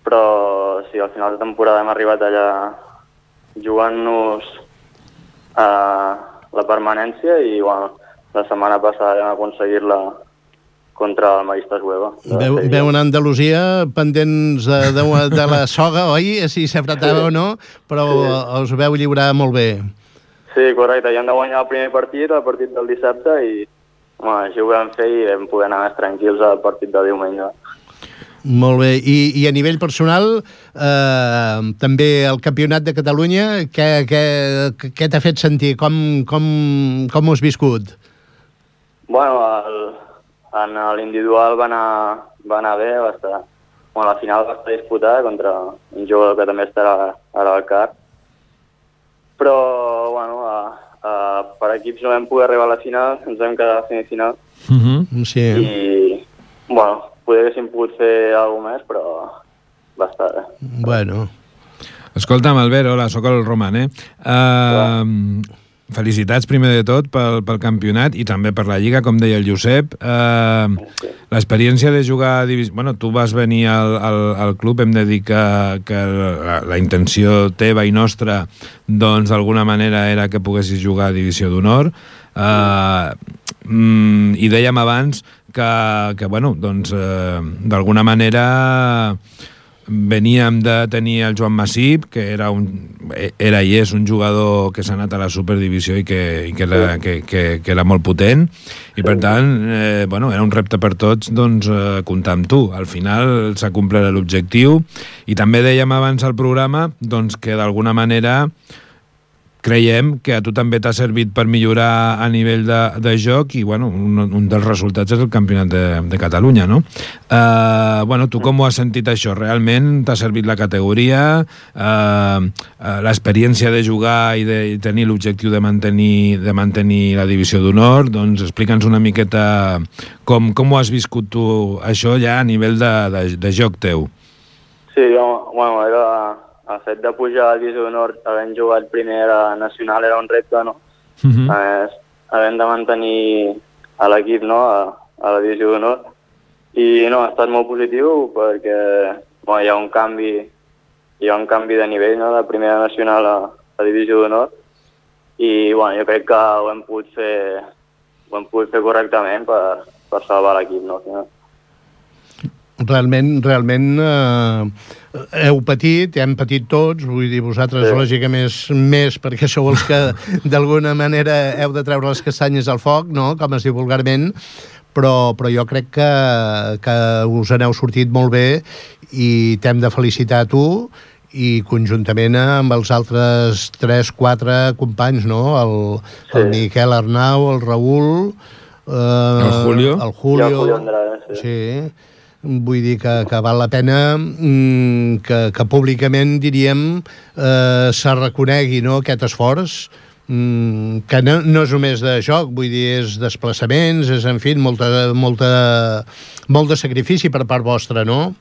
però sí, al final de temporada hem arribat allà jugant-nos a la permanència i bueno, la setmana passada hem aconseguit la, contra el Maristes Hueva. Veu, veu una Andalusia pendents de, de, de la soga, oi? Si s'apretava sí. o no, però sí. us veu lliurar molt bé. Sí, correcte. Ja hem de guanyar el primer partit, el partit del dissabte, i bueno, així ho vam fer i vam poder anar més tranquils al partit de diumenge. Molt bé. I, i a nivell personal, eh, també el Campionat de Catalunya, què, què, què t'ha fet sentir? Com, com, com ho has viscut? Bueno, el, en l'individual va anar, va anar bé, va estar... Bueno, la final va estar disputada contra un jugador que també estarà ara al C A R. Però, bueno, a, a, per equips no vam poder arribar a la final, ens vam quedar a la semifinal. Mm-hmm. Sí. I, bueno, poder haguéssim pogut fer alguna més, però va estar bé. Bueno. Escolta'm, Albert, hola, sóc el Roman, eh? Uh, felicitats, primer de tot, pel, pel campionat i també per la Lliga, com deia el Josep. Uh, sí. L'experiència de jugar a divisió... Bueno, tu vas venir al, al, al club, hem de dir que, que la, la intenció teva i nostra, doncs, d'alguna manera era que poguessis jugar a divisió d'honor. Uh, mm, I dèiem abans que, que bueno, doncs, uh, d'alguna manera... Veníem de tenir el Joan Masip, que era, un, era i és un jugador que s'ha anat a la Superdivisió i que, i que, era, que, que, que era molt potent, i per tant, eh, bueno, era un repte per tots, doncs, eh, comptar amb tu. Al final s'ha complert l'objectiu, i també dèiem abans al programa doncs, que d'alguna manera creiem que a tu també t'ha servit per millorar a nivell de, de joc i, bueno, un, un dels resultats és el Campionat de, de Catalunya, no? Uh, bueno, tu com ho has sentit això? Realment t'ha servit la categoria, uh, uh, l'experiència de jugar i de i tenir l'objectiu de mantenir, de mantenir la divisió d'honor? Doncs explica'ns una miqueta com, com ho has viscut tu, això ja a nivell de, de, de joc teu. Sí, jo, bueno, era... El fet de pujar a la divisió d'honor, havent jugat primer a nacional, era un repte, no? Uh-huh. A més, havent de mantenir a l'equip, no?, a, a la divisió d'honor. I no, ha estat molt positiu perquè bueno, hi ha un canvi hi ha un canvi de nivell, no?, de primera nacional a, a divisió d'honor. I bueno, jo crec que ho hem pogut fer, ho hem pogut fer correctament per, per salvar l'equip, no? Realment, realment eh, heu patit, hem patit tots, vull dir, vosaltres sí. lògicament més, més perquè sou els que d'alguna manera heu de treure les castanyes al foc, no?, com es diu vulgarment, però, però jo crec que, que us n'heu sortit molt bé i t'hem de felicitar a tu i conjuntament amb els altres tres quatre companys, no?, el, sí. el Miquel Arnau, el Raül, eh, el Julio, el Julio, el Julio Andrade, sí. sí. Vull dir que, que val la pena mm, que, que públicament, diríem, eh, se reconegui, no?, aquest esforç, mm, que no, no és només de joc, vull dir, és desplaçaments, és, en fi, molta, molta, molt de sacrifici per part vostra, no?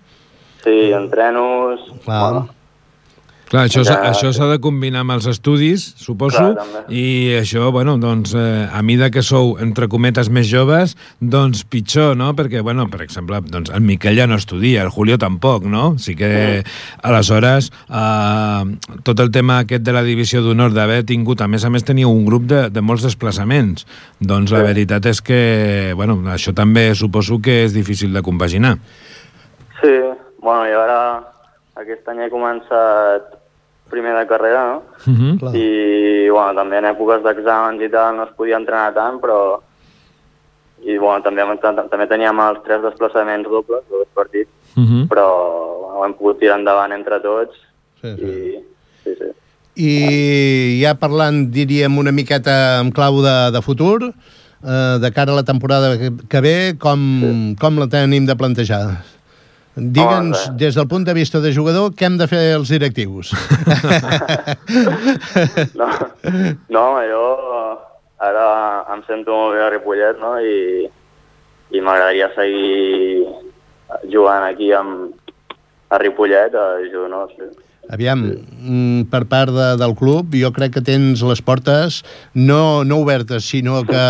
Sí, entrenos... Clar. Bueno. Clar, això s'ha això s'ha de combinar amb els estudis, suposo, clar, i això, bueno, doncs, eh, a mida que sou, entre cometes, més joves, doncs pitjor, no? Perquè, bueno, per exemple, doncs, el Miquel ja no estudia, el Julio tampoc, no? Sí que, aleshores, eh, tot el tema aquest de la divisió d'honor, d'haver tingut, a més a més, teniu un grup de, de molts desplaçaments. Doncs la veritat és que, bueno, això també suposo que és difícil de compaginar. Sí, bueno, i ara aquest any he començat primer de carrera, no? Uh-huh. I, bueno, també en èpoques d'exàmens i tal no es podia entrenar tant, però... I, bueno, també, també teníem els tres desplaçaments dobles, dos partits, uh-huh. però bueno, hem pogut tirar endavant entre tots. Sí, sí. I, sí, sí. I ja parlant, diríem, una miqueta en clau de, de futur, eh, de cara a la temporada que, que ve, com, sí. com la tenim de plantejar? Digue'ns, oh, des del punt de vista de jugador, què hem de fer els directius? no, no, jo ara em sento molt bé a Ripollet, no?, i, i m'agradaria seguir jugant aquí amb, a Ripollet, a jugar, no? Sí. Aviam, per part de, del club, jo crec que tens les portes no, no obertes, sinó que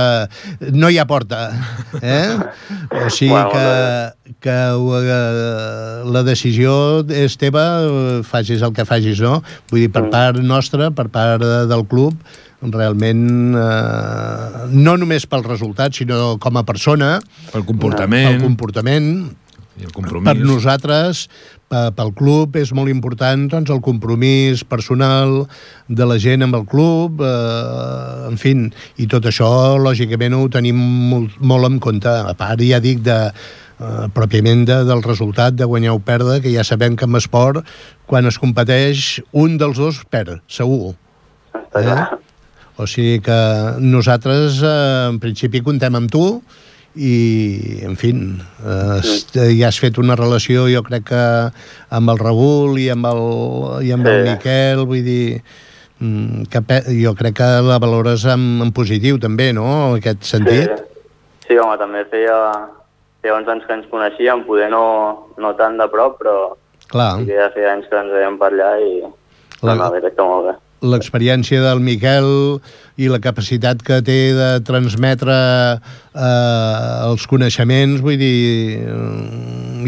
no hi ha porta. Eh? O sigui que, que uh, la decisió és teva, facis el que facis, no? Vull dir, per part nostra, per part del club, realment eh, no només pel resultat, sinó com a persona, pel comportament, pel comportament i el compromís. Per nosaltres, pel club, és molt important doncs, el compromís personal de la gent amb el club, eh, en fi, i tot això, lògicament, ho tenim molt, molt en compte. A part, ja dic, de, eh, pròpiament de, del resultat de guanyar o perdre, que ja sabem que en esport, quan es competeix, un dels dos perd, segur. Està clar. Eh? O sigui que nosaltres, eh, en principi, contem amb tu i, en fi, eh, ja has fet una relació, jo crec que amb el Raül i amb el, i amb sí. el Miquel, vull dir, que jo crec que la valores en, en positiu, també, no?, en aquest sentit. Sí, sí, home, també feia, feia uns anys que ens coneixíem, poder no, no tant de prop, però clar. Sí que ja feia anys que ens veiem per allà i la, no, crec que molt bé. L'experiència del Miquel i la capacitat que té de transmetre eh, els coneixements, vull dir,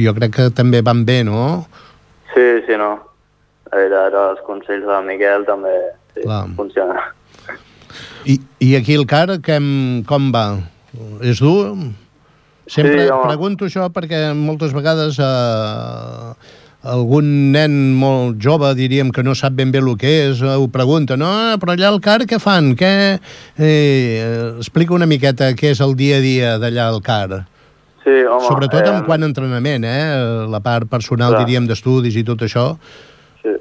jo crec que també van bé, no? Sí, sí, no. La veritat, els consells del Miquel també sí, funcionen. I, I aquí el car, que, com va? És dur? Sempre sí, pregunto això perquè moltes vegades eh, algun nen molt jove, diríem, que no sap ben bé el que és, ho pregunta, no, però allà al car què fan? Què? Eh, explica una miqueta què és el dia a dia d'allà al car. Sí, home... Sobretot eh, en quant a entrenament, eh? La part personal, clar. Diríem, d'estudis i tot això. Sí.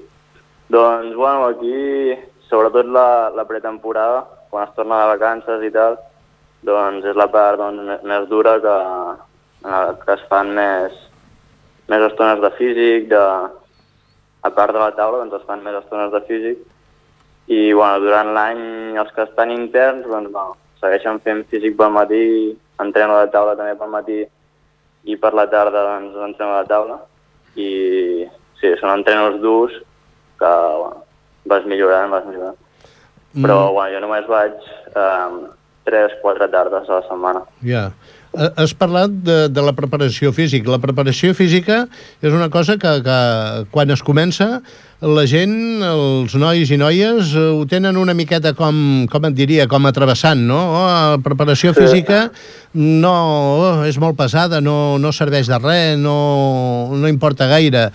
Doncs, bueno, aquí, sobretot la, la pretemporada, quan es torna de vacances i tal, doncs és la part doncs, més dura que, que es fan més, més estones de físic, de, a part de la taula, doncs es fan més estones de físic, i bueno, durant l'any els que estan interns doncs, bueno, segueixen fent físic pel matí, entreno a la taula també pel matí, i per la tarda doncs, entreno a la taula, i sí, són entrenos durs que bueno, vas millorant, vas millorant. Mm. Però bueno, jo només vaig eh, tres, quatre tardes a la setmana. Ja. Yeah. Has parlat de, de la preparació física. La preparació física és una cosa que, que quan es comença, la gent, els nois i noies, ho tenen una miqueta com, com et diria, com a travessant, no? Oh, la preparació sí. física no, oh, és molt pesada, no, no serveix de res, no, no importa gaire.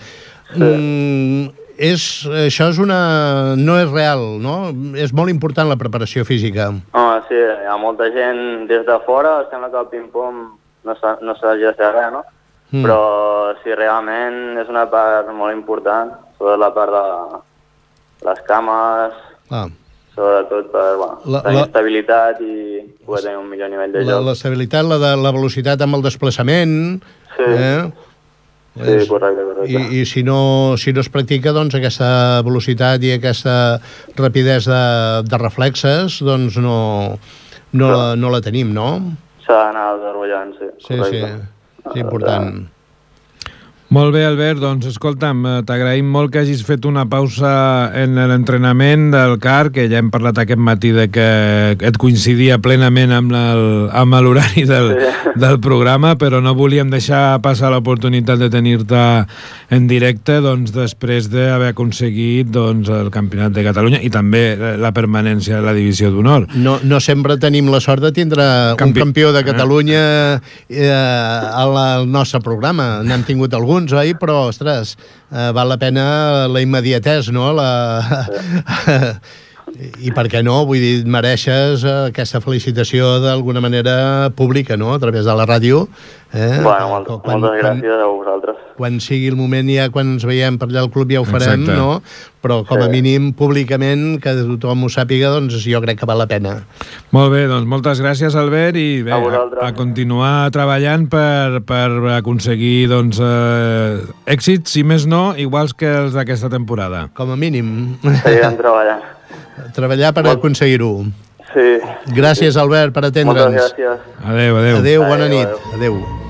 Sí. Mm, és, això és una... no és real, no? És molt important la preparació física. Home, sí, hi ha molta gent des de fora, sembla que el ping-pong no s'hagi de fer res, no? Mm. Però sí, realment és una part molt important, sobretot la part de les cames, ah. sobretot per bueno, la, tenir la, estabilitat i poder tenir un millor nivell de la, joc. L'estabilitat, la, de, la velocitat amb el desplaçament... Sí. Eh? Sí, correcte, correcte. I, i si, no, si no es practica, doncs, aquesta velocitat i aquesta rapidesa de, de reflexes, doncs no, no, la, no la tenim, no? S'ha d'anar desenvolupant, sí. Sí, correcte. Sí, sí, important. Molt bé, Albert, doncs escolta'm, t'agraïm molt que hagis fet una pausa en l'entrenament del car, que ja hem parlat aquest matí de que et coincidia plenament amb l'horari del, sí. del programa, però no volíem deixar passar l'oportunitat de tenir-te en directe doncs, després d'haver aconseguit doncs, el Campionat de Catalunya i també la permanència de la Divisió d'Honor. No, no sempre tenim la sort de tindre Campi... un campió de Catalunya eh, al nostre programa. N'hem tingut alguns, oi? Però, ostres, eh, val la pena la immediatesa, no? La... Sí. I per què no? Vull dir, mereixes aquesta felicitació d'alguna manera pública, no? A través de la ràdio. Eh? Bueno, molt, quan, moltes gràcies quan, a vosaltres. Quan sigui el moment, ja quan ens veiem per allà al club ja ho farem, exacte. No? Però com a sí. mínim, públicament, que tothom ho sàpiga, doncs jo crec que val la pena. Molt bé, doncs moltes gràcies, Albert, i bé, a, a, a continuar treballant per, per aconseguir doncs, eh, èxits, si més no, iguals que els d'aquesta temporada. Com a mínim. Seguirem treballant. Treballar per Molt... aconseguir-ho. Sí. Gràcies, Albert, per atendre'ns. Moltes gràcies. Adéu, adéu. Adéu, bona adéu, nit. Adéu. adéu.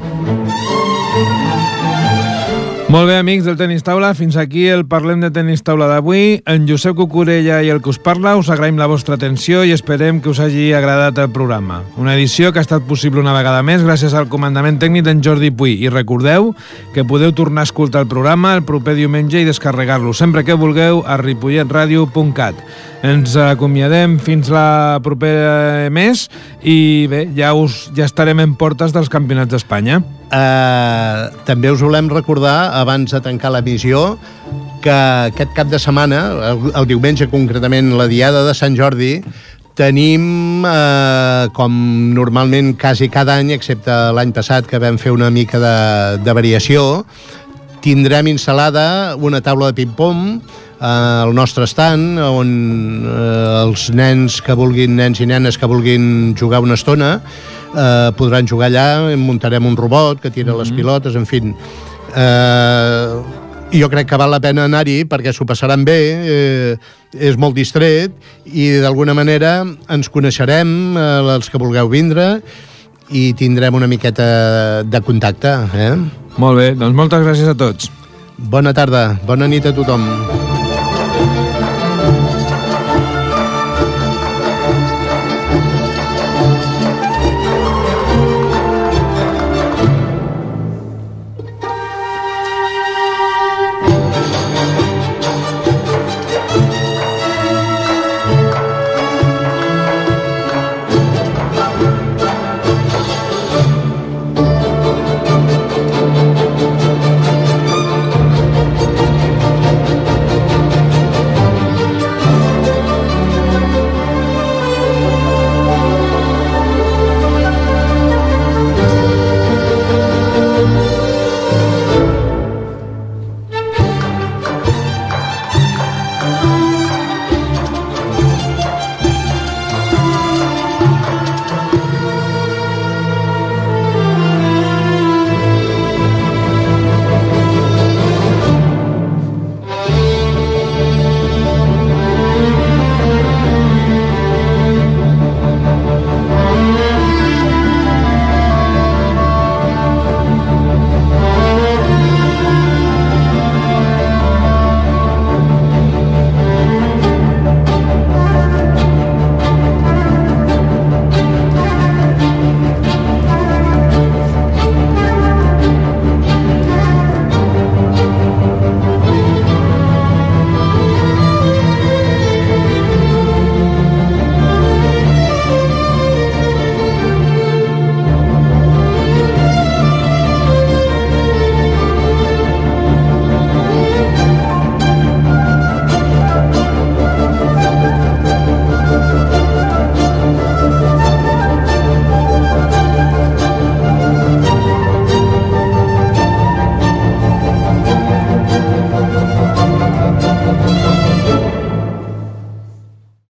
Molt bé, amics del Tenis Taula, fins aquí el Parlem de Tenis Taula d'avui. En Josep Cucurella i el que us parla, us agraïm la vostra atenció i esperem que us hagi agradat el programa. Una edició que ha estat possible una vegada més gràcies al comandament tècnic d'en Jordi Puy. I recordeu que podeu tornar a escoltar el programa el proper diumenge i descarregar-lo sempre que vulgueu a ripollet ràdio punt cat. Ens acomiadem fins la propera mes i bé, ja, us, ja estarem en portes dels campionats d'Espanya. Uh, també us volem recordar, abans de tancar l'emissió, que aquest cap de setmana, el, el diumenge concretament, la diada de Sant Jordi, tenim, eh, com normalment quasi cada any, excepte l'any passat que vam fer una mica de, de variació, tindrem instal·lada una taula de ping-pong al nostre stand, on eh, els nens que vulguin, nens i nenes que vulguin jugar una estona, eh, podran jugar allà, muntarem un robot que tira mm-hmm. les pilotes, en fi. Eh, jo crec que val la pena anar-hi perquè s'ho passaran bé, eh, és molt distret i d'alguna manera ens coneixerem, eh, els que vulgueu vindre, i tindrem una miqueta de contacte. Eh? Molt bé, doncs moltes gràcies a tots. Bona tarda, bona nit a tothom.